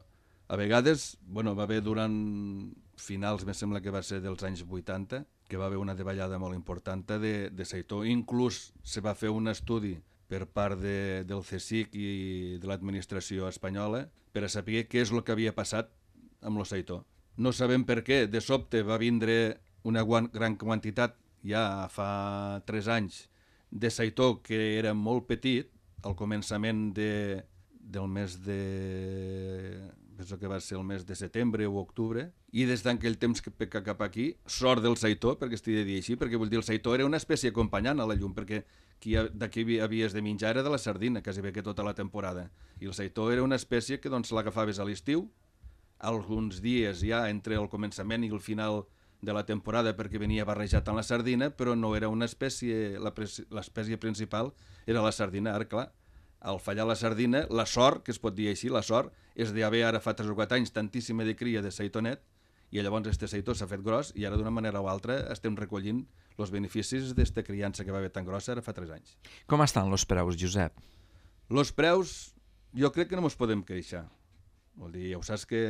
A vegades, va haver durant finals, me sembla que va ser dels anys 80, que va haver una davallada molt important de seitó. Inclús se va fer un estudi per part del CSIC i de l'administració espanyola per a saber què és el que havia passat amb el seitó. No sabem per què, de sobte va vindre una gran quantitat, ja fa 3 anys, de seitó que era molt petit, al començament del mes de... penso que va ser el mes de setembre o octubre, i des d'aquell temps cap aquí, sort del seitó, perquè estic de dir així, perquè vull dir, el seitó era una espècie acompanyant a la llum, perquè d'aquí havies de menjar era de la sardina, quasi bé que tota la temporada. I el seitó era una espècie que l'agafaves a l'estiu, alguns dies ja entre el començament i el final de la temporada perquè venia barrejat amb la sardina, però no era una espècie, l'espècie principal era la sardina. Ara, clar, al fallar la sardina, la sort, que es pot dir així, la sort, és d'haver ara fa 3 o 4 anys tantíssima de cria de seitonet, i llavors este seitó s'ha fet gros i ara d'una manera o altra estem recollint els beneficis d'esta criança que va haver tan grossa ara fa 3 anys. Com estan els preus, Josep? Els preus, jo crec que no ens podem queixar. Vol dir, ja ho saps que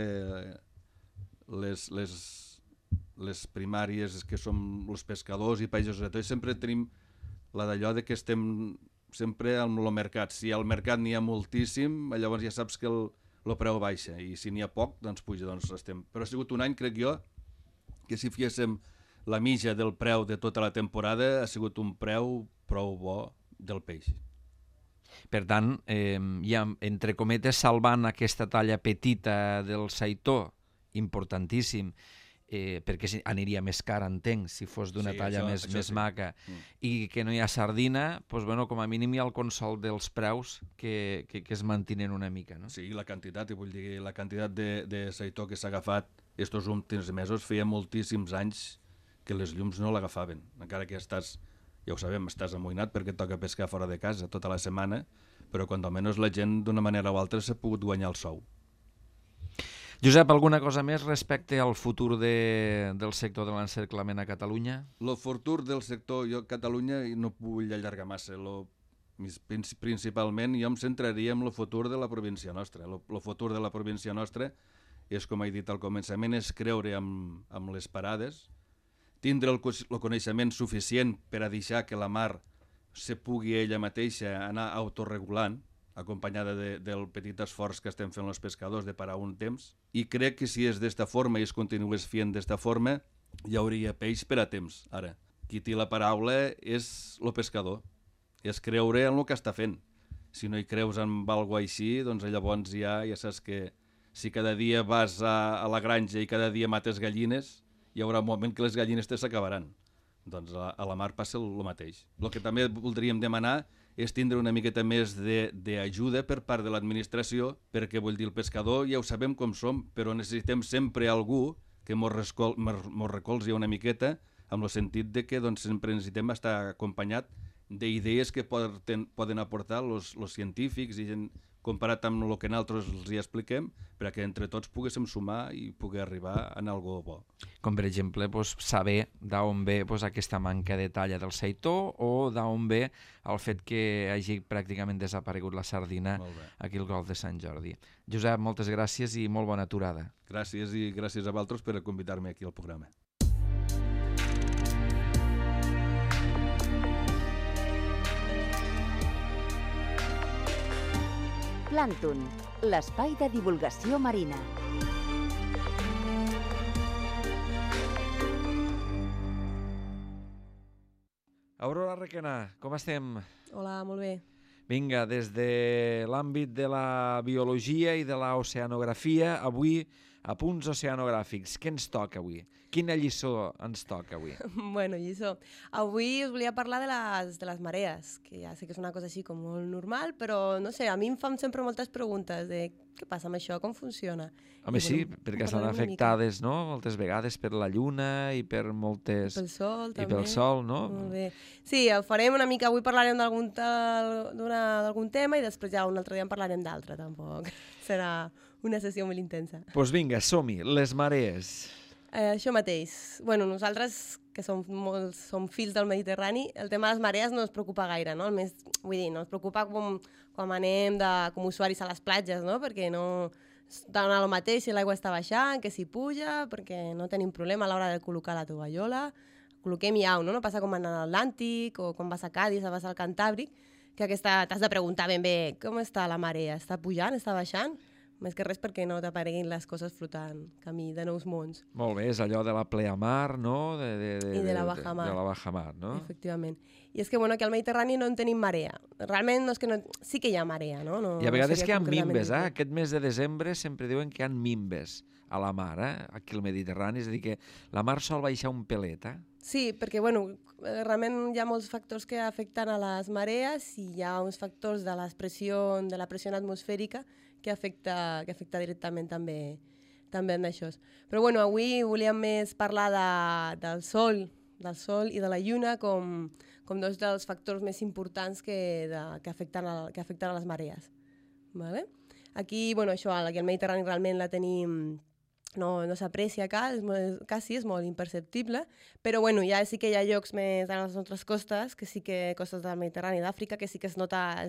les primàries que som els pescadors i països de tot, sempre tenim la d'allò de que estem sempre amb el mercat. Si al mercat n'hi ha moltíssim, llavors ja saps que el preu baixa, i si n'hi ha poc, doncs puja, doncs estem. Però ha sigut un any, crec jo, que si fiéssim la mitja del preu de tota la temporada, ha sigut un preu prou bo del peix. Per tant, ja, entre cometes, salvant aquesta talla petita del seitó, importantíssim, perquè aniria més car, entenc, si fos d'una talla més maca, i que no hi ha sardina, doncs, com a mínim hi ha el consol dels preus que es mantenen una mica. No? Sí, la quantitat, vull dir, la quantitat de seitó que s'ha agafat estos últims mesos, feia moltíssims anys que les llums no l'agafaven, encara que estàs, ja ho sabem, estàs amoïnat perquè et toca pescar fora de casa tota la setmana, però quan almenys la gent d'una manera o altra s'ha pogut guanyar el sou. Josep, alguna cosa més respecte al futur del sector de l'encerclament a Catalunya? El futur del sector, jo a Catalunya no vull allargar massa, principalment jo em centraria en el futur de la província nostra. El futur de la província nostra és, com he dit al començament, és creure amb les parades, tindre el coneixement suficient per a deixar que la mar se pugui ella mateixa anar autorregulant, acompanyada del petit esforç que estem fent els pescadors de parar un temps, i crec que si és d'esta forma i es continués fent d'esta forma, hi hauria peix per a temps. Ara, qui té la paraula és el pescador, és creure en el que està fent. Si no hi creus en alguna cosa així, doncs llavors ja saps que si cada dia vas a la granja i cada dia mates gallines, hi haurà un moment que les gallines s'acabaran. Doncs a la mar passa el mateix. El que també voldríem demanar és tindre una miqueta més d'ajuda per part de l'administració, perquè vull dir, el pescador ja ho sabem com som, però necessitem sempre algú que mos recolzi una miqueta, amb el sentit de que sempre necessitem estar acompanyat d'idees que poden aportar els científics i gent comparat amb el que nosaltres els hi expliquem, perquè entre tots poguéssim sumar i poder arribar a algo bo. Com per exemple saber d'on ve aquesta manca de talla del seitó o d'on ve el fet que hagi pràcticament desaparegut la sardina aquí al Golf de Sant Jordi. Josep, moltes gràcies i molt bona aturada. Gràcies i gràcies a vosaltres per convidar-me aquí al programa. Plàncton, l'espai de divulgació marina. Aurora Requena, com estem? Hola, molt bé. Vinga, des de l'àmbit de la biologia i de l'oceanografia, avui a punts oceanogràfics. Què ens toca avui? Quina lliçó ens toca avui? Bueno, lliçó. Avui us volia parlar de les marees, que ja sé que és una cosa així com molt normal, però no sé, a mi em fan sempre moltes preguntes de què passa amb això, com funciona. Home, sí, perquè estan afectades, no?, moltes vegades per la lluna i per moltes... Pel sol, també. I pel sol, no? Molt bé. Sí, ho farem una mica, avui parlarem d'algun tema i després ja un altre dia en parlarem d'altre, tampoc. Serà una sessió molt intensa. Doncs vinga, som-hi, les marees. Això mateix. Bueno, nosaltres, que som fills del Mediterrani, el tema de les marees no ens preocupa gaire, no? Vull dir, no ens preocupa com anem com usuaris a les platges, no? Perquè no dona el mateix si l'aigua està baixant, que si puja, perquè no tenim problema a l'hora de col·locar la tovallola. Col·loquem i au, no? No passa com en l'Atlàntic o quan vas a Cádiz o vas al Cantàbric, que t'has de preguntar ben bé com està la marea, està pujant, està baixant? Més que res perquè no t'apareguin les coses flotant camí de nous mons. Molt bé, és allò de la pleamar, no? I de la bajamar. De la bajamar, no? Efectivament. I és que, bueno, aquí al Mediterrani no en tenim marea. Realment no és que no... sí que hi ha marea, no? I a vegades que hi ha mimbes, Aquest mes de desembre sempre diuen que hi ha mimbes a la mar, aquí al Mediterrani, és a dir, que la mar sol baixar un pelet, Sí, perquè, bueno, realment hi ha molts factors que afecten a les marees i hi ha uns factors de la pressió atmosfèrica que afecta directament també en això. Però bueno, avui volíem més parlar del sol i de la lluna com dos dels factors més importants que afecten a les marees. Vale? Aquí, bueno, això, aquí al Mediterrani realment la tenim... No s'aprecia quasi, és molt imperceptible, però bueno, ja sí que hi ha llocs més a les nostres costes, costes del Mediterrani i d'Àfrica, que sí que es nota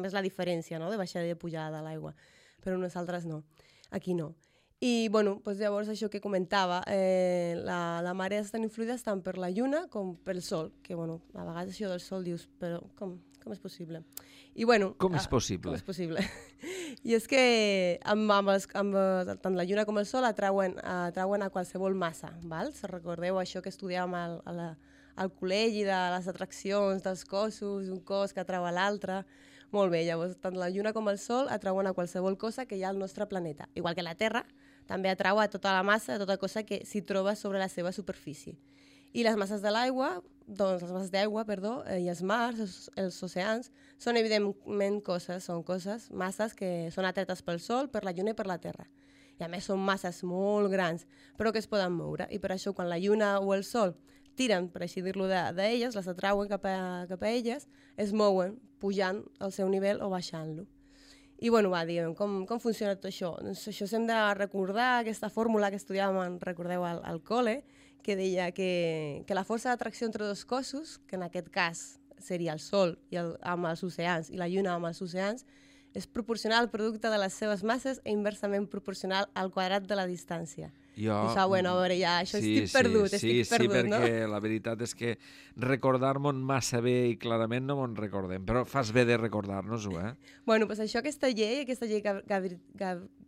més la diferència, no?, de baixada i de pujada de l'aigua, però nosaltres no, aquí no. I bueno, doncs llavors això que comentava, la marea estan influïdes tant per la lluna com pel sol, que bueno, a vegades això del sol dius, però com és possible? I bueno, com és possible? Com és possible? I és que tant la lluna com el sol atrauen a qualsevol massa, val? Si recordeu això que estudiàvem al col·legi de les atraccions dels cossos, un cos que atrau a l'altre. Molt bé, llavors tant la lluna com el sol atrauen a qualsevol cosa que hi ha al nostre planeta, igual que la Terra també atrau a tota la massa, a tota cosa que s'hi troba sobre la seva superfície. I les masses d'aigua, i els mars, els oceans, són evidentment masses que són atretes pel sol, per la lluna i per la terra. I a més són masses molt grans, però que es poden moure. I per això quan la lluna o el sol tiren, per així dir-lo, d'elles, les atrauen cap a elles, es mouen pujant al seu nivell o baixant-lo. I bueno, diguem, com funciona tot això? Doncs això hem de recordar aquesta fórmula que estudiàvem, recordeu, al col·le, que deia que la força d'atracció entre dos cossos, que en aquest cas seria el Sol amb els oceans i la Lluna amb els oceans, és proporcional al producte de les seves masses i inversament proporcional al quadrat de la distància. Bueno, a veure, ja, això estic perdut, no? Sí, perquè la veritat és que recordar-me'n massa bé i clarament no me'n recordem, però fas bé de recordar-nos-ho, Bueno, doncs això, aquesta llei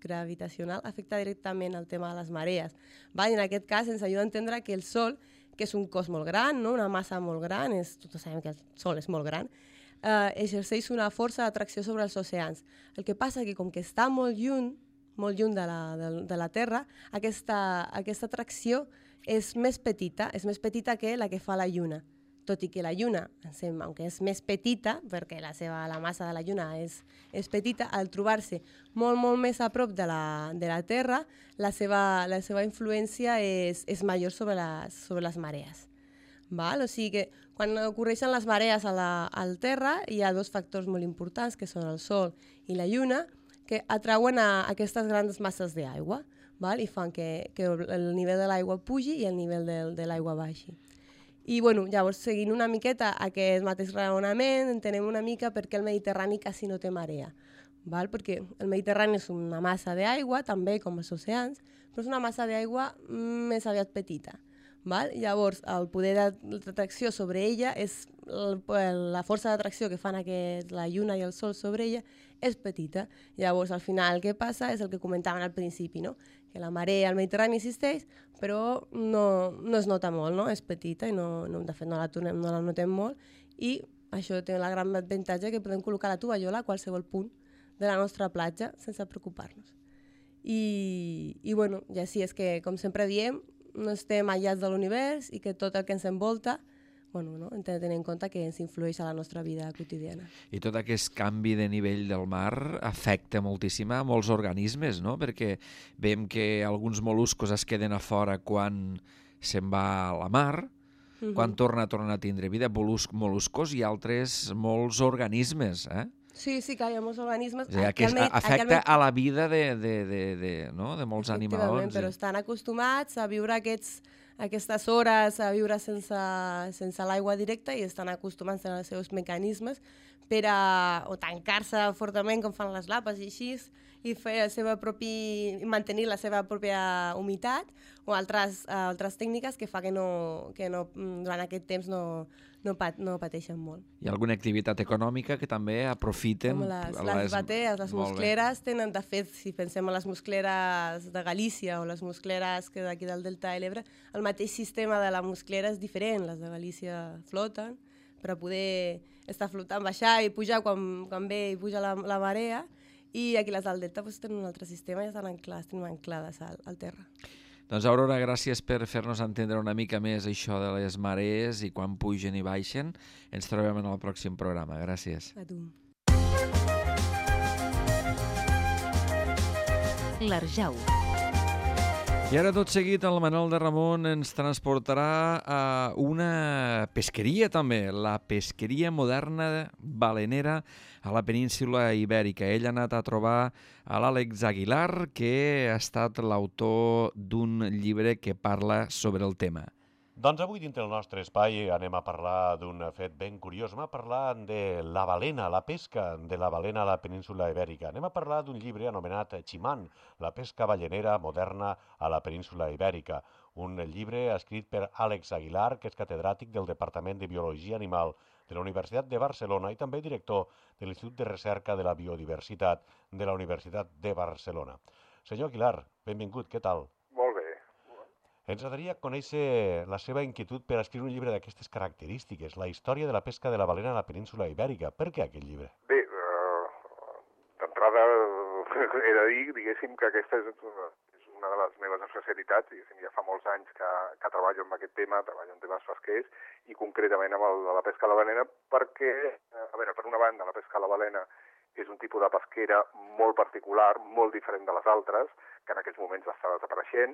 gravitacional afecta directament el tema de les marees. I en aquest cas ens ajuda a entendre que el Sol, que és un cos molt gran, no? Una massa molt gran, tots sabem que el Sol és molt gran, exerceix una força d'atracció sobre els oceans. El que passa que com que està molt lluny de la Terra, aquesta atracció és més petita que la que fa la Lluna. Tot i que la Lluna, aunque és més petita, perquè la massa de la Lluna és petita, al trobar-se molt, molt més a prop de la Terra, la seva influència és major sobre les marees. O sigui que quan ocorreixen les marees al Terra hi ha dos factors molt importants, que són el Sol i la Lluna, que atrauen a aquestes grans masses d'aigua i fan que el nivell de l'aigua pugi i el nivell de l'aigua baixi. I bueno, llavors, seguint una miqueta aquest mateix raonament, entenem una mica per què el Mediterrani quasi no té marea. Perquè el Mediterrani és una massa d'aigua, també com els oceans, però és una massa d'aigua més aviat petita. Llavors, el poder d'atracció sobre ella, la força d'atracció que fan la Lluna i el Sol sobre ella és petita. Llavors, al final, el que passa és el que comentaven al principi, no? Que la marea al Mediterrani existeix, però no es nota molt, no? És petita i de fet no la notem molt, i això té la gran avantatge que podem col·locar la tovallola a qualsevol punt de la nostra platja sense preocupar-nos. I bueno, ja sí, és que, com sempre diem, no estem aïllats de l'univers i que tot el que ens envolta, hem de tenir en compte que ens influeix a la nostra vida quotidiana. I tot aquest canvi de nivell del mar afecta moltíssim a molts organismes, no? Perquè veiem que alguns mol·luscos es queden a fora quan se'n va a la mar, quan tornen a tindre vida, mol·luscos i altres molts organismes, Sí, que hi ha molts organismes. Afecta a la vida de molts animals. Però estan acostumats a viure aquestes hores, a viure sense l'aigua directa i estan acostumats als seus mecanismes o tancar-se fortament com fan les lapes i així, i mantenir la seva pròpia humitat, o altres tècniques que fa que durant aquest temps no pateixen molt. Hi ha alguna activitat econòmica que també aprofiten? Com les batees, les muscleres tenen, de fet, si pensem en les muscleres de Galícia o les muscleres que d'aquí del Delta de l'Ebre, el mateix sistema de la musclera és diferent. Les de Galícia floten per a poder estar flotant, baixar i pujar quan ve i puja la marea, i aquí les del Delta tenen un altre sistema i estan anclades al terra. Doncs, Aurora, gràcies per fer-nos entendre una mica més això de les marees i quan pugen i baixen. Ens trobem en el pròxim programa. Gràcies. A tu. L'Arjau. I ara, tot seguit, el Manol de Ramon ens transportarà a una pesqueria, també, la pesqueria moderna balenera a la península Ibèrica. Ell ha anat a trobar a l'Àlex Aguilar, que ha estat l'autor d'un llibre que parla sobre el tema. Doncs avui, dintre del nostre espai, anem a parlar d'un fet ben curiós. Anem a parlar de la balena, la pesca de la balena a la península Ibèrica. Anem a parlar d'un llibre anomenat Chimán, la pesca ballenera moderna a la península Ibèrica. Un llibre escrit per Àlex Aguilar, que és catedràtic del Departament de Biologia Animal de la Universitat de Barcelona i també director de l'Institut de Recerca de la Biodiversitat de la Universitat de Barcelona. Senyor Aguilar, benvingut, què tal? Ens agradaria conèixer la seva inquietud per escriure un llibre d'aquestes característiques, la història de la pesca de la balena a la península Ibèrica. Per què aquest llibre? Bé, d'entrada he de dir, diguéssim, que aquesta és una de les meves especialitats, diguéssim, ja fa molts anys que treballo amb aquest tema, treballo en temes pesquers, i concretament amb el de la pesca a la balena, perquè, per una banda, la pesca a la balena és un tipus de pesquera molt particular, molt diferent de les altres, que en aquests moments està desapareixent.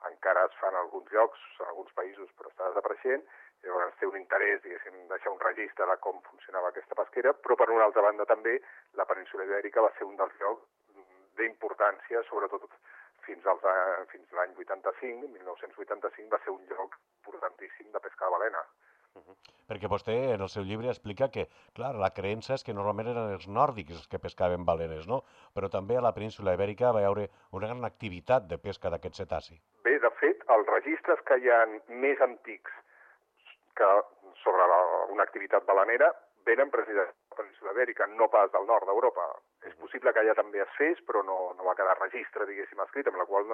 Encara es fan alguns llocs, en alguns països, però està desapareixent. Llavors té un interès, diguéssim, deixar un registre de com funcionava aquesta pesquera, però per una altra banda també la península Ibèrica va ser un dels llocs d'importància, sobretot fins l'any 85, 1985, va ser un lloc importantíssim de pesca de balena. Perquè vostè en el seu llibre explica que, clar, la creença és que normalment eren els nòrdics els que pescaven balenes, no? Però també a la península Ibèrica va haver una gran activitat de pesca d'aquest cetaci. Bé, de fet, els registres que hi ha més antics sobre una activitat balenera venen precisament de la península Ibèrica, no pas del nord d'Europa. És possible que allà també es fes, però no va quedar registre, diguéssim, escrit, amb la qual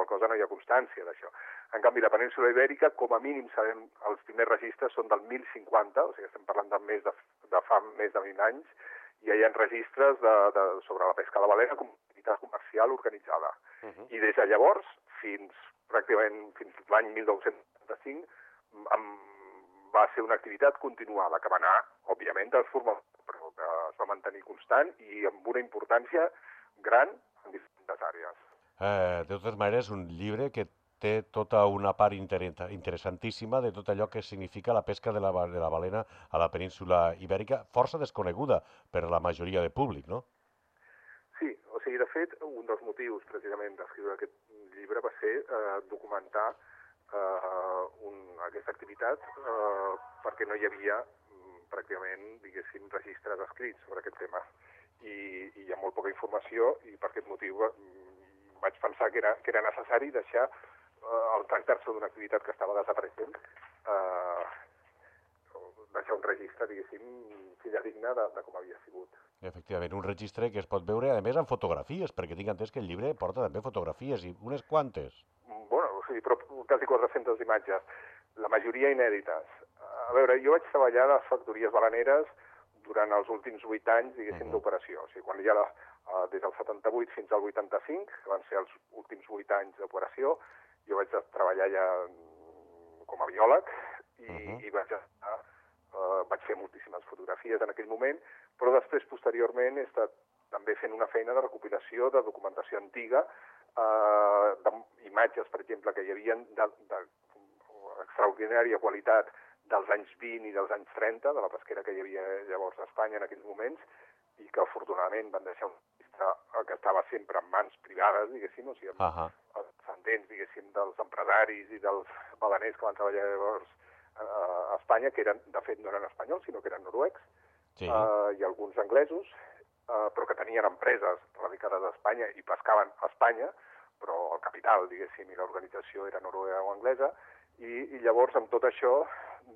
cosa no hi ha constància d'això. En canvi, la península Ibèrica, com a mínim sabem, els primers registres són del 1050, o sigui, estem parlant de fa més de 20 anys, i hi ha registres sobre la pesca de la balena com a activitat comercial organitzada. I des de llavors, fins l'any 1975, va ser una activitat continuada, que va anar, òbviament, transformada, però que es va mantenir constant i amb una importància gran en diferents àrees. De totes maneres, un llibre que té tota una part interessantíssima de tot allò que significa la pesca de la balena a la península Ibèrica, força desconeguda per la majoria de públic, no? Sí, o sigui, de fet, un dels motius precisament d'escriure aquest llibre va ser documentar aquesta activitat perquè no hi havia pràcticament, diguéssim, registres escrits sobre aquest tema. I hi ha molt poca informació i per aquest motiu vaig pensar que era necessari deixar al tractar-se d'una activitat que estava desapareixent, deixar un registre, diguéssim, fidedigne de com havia sigut. Efectivament, un registre que es pot veure, a més, amb fotografies, perquè tinc entès que el llibre porta també fotografies, i unes quantes. Bueno, sí, però quasi 400 imatges, la majoria inèdites. A veure, jo vaig treballar a les factories baleneres durant els últims 8 anys, diguéssim, d'operació. O sigui, quan hi ha des del 78 fins al 85, que van ser els últims 8 anys d'operació, jo vaig treballar ja com a biòleg i vaig fer moltíssimes fotografies en aquell moment, però després, posteriorment, he estat també fent una feina de recopilació de documentació antiga, d'imatges, per exemple, que hi havia d'extraordinària qualitat dels anys 20 i dels anys 30, de la pesquera que hi havia llavors a Espanya en aquells moments, i que afortunadament van deixar un registre que estava sempre en mans privades, diguéssim, o sigui, els descendents, diguéssim, dels empresaris i dels baleners que van treballar llavors a Espanya, que eren, de fet, no eren espanyols, sinó que eren noruecs, i alguns anglesos, però que tenien empreses radicades a Espanya i pescaven a Espanya, però el capital, diguéssim, i l'organització era noruega o anglesa, i llavors amb tot això,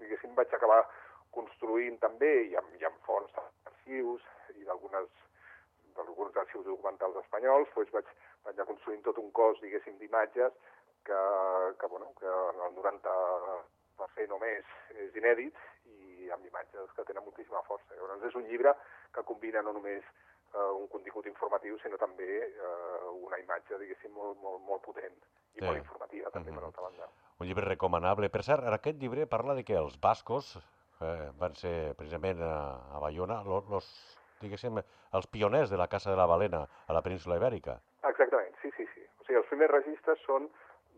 diguéssim, vaig acabar construint també, i amb fons d'arxius i d'alguns arxius documentals espanyols, doncs vaig anar construint tot un cos, diguéssim, d'imatges que en el 90% o més és inèdit i amb imatges que tenen moltíssima força. Llavors és un llibre que combina no només un contingut informatiu, sinó també una imatge, diguéssim, molt potent i molt informativa, també, per altra banda. Un llibre recomanable. Per cert, aquest llibre parla de que els bascos van ser precisament a Baiona diguéssim, els pioners de la caça de la balena a la península Ibèrica. Exactament, sí. O sigui, els primers registres són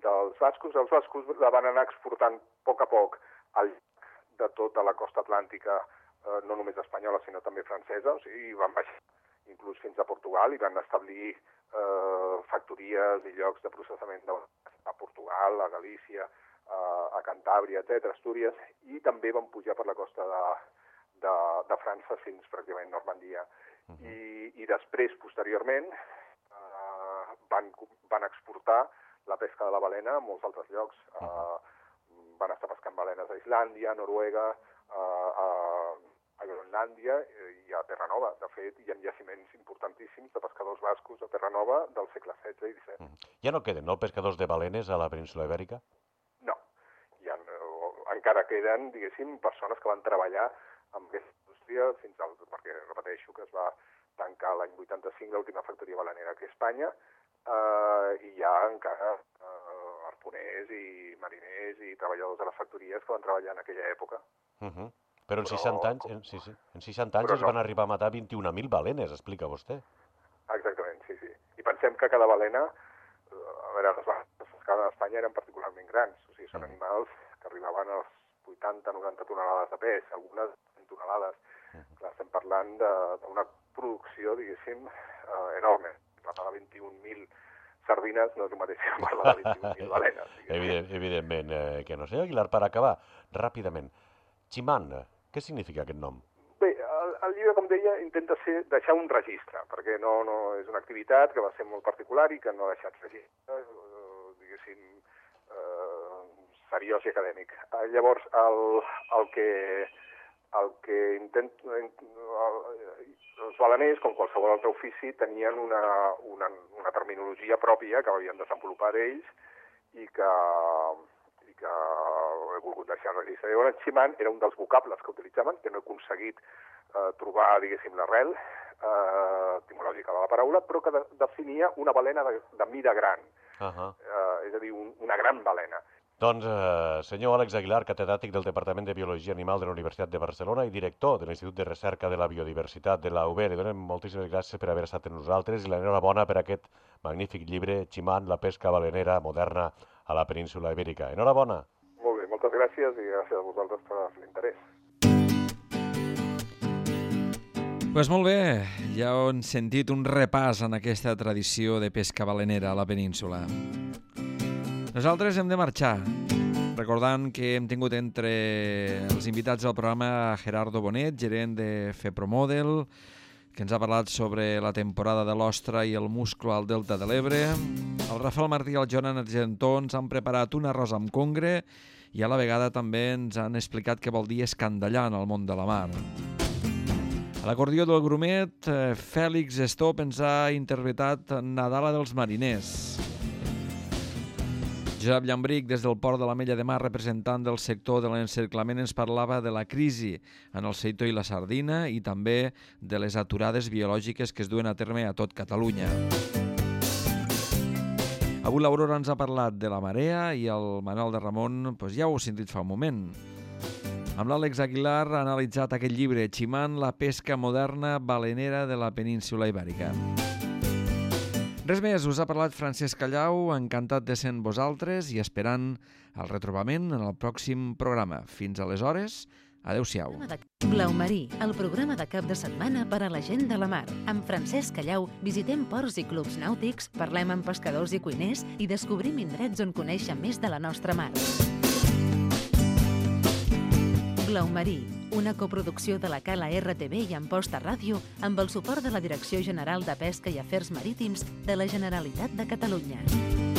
dels bascos. Els bascos la van anar exportant a poc al llarg de tota la costa atlàntica, no només espanyola, sinó també francesa. O sigui, van baixar inclús fins a Portugal i van establir factories i llocs de processament a Portugal, a Galícia, a Cantàbria, etc., Astúries, i també van pujar per la costa de França fins pràcticament Normandia. I després, posteriorment, van exportar la pesca de la balena a molts altres llocs. Van estar pescant balenes a Islàndia, a Noruega, a Groenlàndia i a Terranova. De fet, hi ha jaciments importantíssims de pescadors bascos a Terranova del segle XVI i XVII. Ja no queden, no, pescadors de balenes a la península Ibèrica? No. Encara queden, diguéssim, persones que van treballar amb aquesta indústria perquè repeteixo que es va tancar l'any 85 l'última factoria balenera aquí a Espanya, i hi ha encara harponers i mariners i treballadors de les factories que van treballar en aquella època. Però en 60 anys es van arribar a matar 21.000 balenes, explica vostè. Exactament, sí. I pensem que cada balena, les balenes pescades a Espanya eren particularment grans, o sigui, són animals que arribaven als 80-90 tonelades de pes, algunes 100 tonelades. Estem parlant d'una producció, diguéssim, enorme. Parlar de 21.000 sardines no és el mateix que parlar de 21.000 balenes. Evidentment que no. Senyor Aguilar, per acabar, ràpidament, Chimán, què significa aquest nom? Bé, el llibre, com deia, intenta deixar un registre, perquè no és una activitat que va ser molt particular i que no ha deixat registre, diguéssim, seriós i acadèmic. Llavors, el que intento... Els baleners, com qualsevol altre ofici, tenien una terminologia pròpia que havien desenvolupat ells i que he volgut deixar registre. Llavors, Chimán era un dels vocables que utilitzaven, que no he aconseguit trobar, diguéssim, l'arrel etimològica de la paraula, però que definia una balena de mida gran, és a dir, una gran balena. Doncs, senyor Àlex Aguilar, catedràtic del Departament de Biologia Animal de la Universitat de Barcelona i director de l'Institut de Recerca de la Biodiversitat de la UB, li donem moltíssimes gràcies per haver estat amb nosaltres i l'enhorabona per aquest magnífic llibre, Chimán, la pesca balenera moderna a la península Ibèrica. Enhorabona. Molt bé, moltes gràcies i gràcies a vosaltres per l'interès. Doncs molt bé, ja hem sentit un repàs en aquesta tradició de pesca balenera a la península. Nosaltres hem de marxar, recordant que hem tingut entre els invitats al programa Gerardo Bonet, gerent de FEPROMODEL, que ens ha parlat sobre la temporada de l'ostra i el musclo al Delta de l'Ebre. El Rafael Martí i el Joan Argentó ens han preparat un arròs amb congre i a la vegada també ens han explicat què vol dir escandallar en el món de la mar. A l'acordió del grumet, Fèlix Estop ens ha interpretat Nadala dels mariners. Josep Llambric, des del port de l'Ametlla de Mar, representant del sector de l'encerclament, ens parlava de la crisi en el seitó i la sardina i també de les aturades biològiques que es duen a terme a tot Catalunya. Avui l'Aurora ens ha parlat de la marea i el Manuel de Ramon ja ho heu sentit fa un moment. Amb l'Àlex Aguilar ha analitzat aquest llibre, Chimán, la pesca moderna balenera de la península Ibèrica. Res més, us ha parlat Francesc Callau, encantat de ser amb vosaltres i esperant el retrobament en el pròxim programa. Fins aleshores, adeu-siau. Blau Marí, el programa de cap de setmana per a la gent de la mar. Amb Francesc Callau visitem ports i clubs nàutics, parlem amb pescadors i cuiners i descobrim indrets on conèixer més de la nostra mar. Blau Marí, una coproducció de la Cala RTV i Amposta Ràdio amb el suport de la Direcció General de Pesca i Afers Marítims de la Generalitat de Catalunya.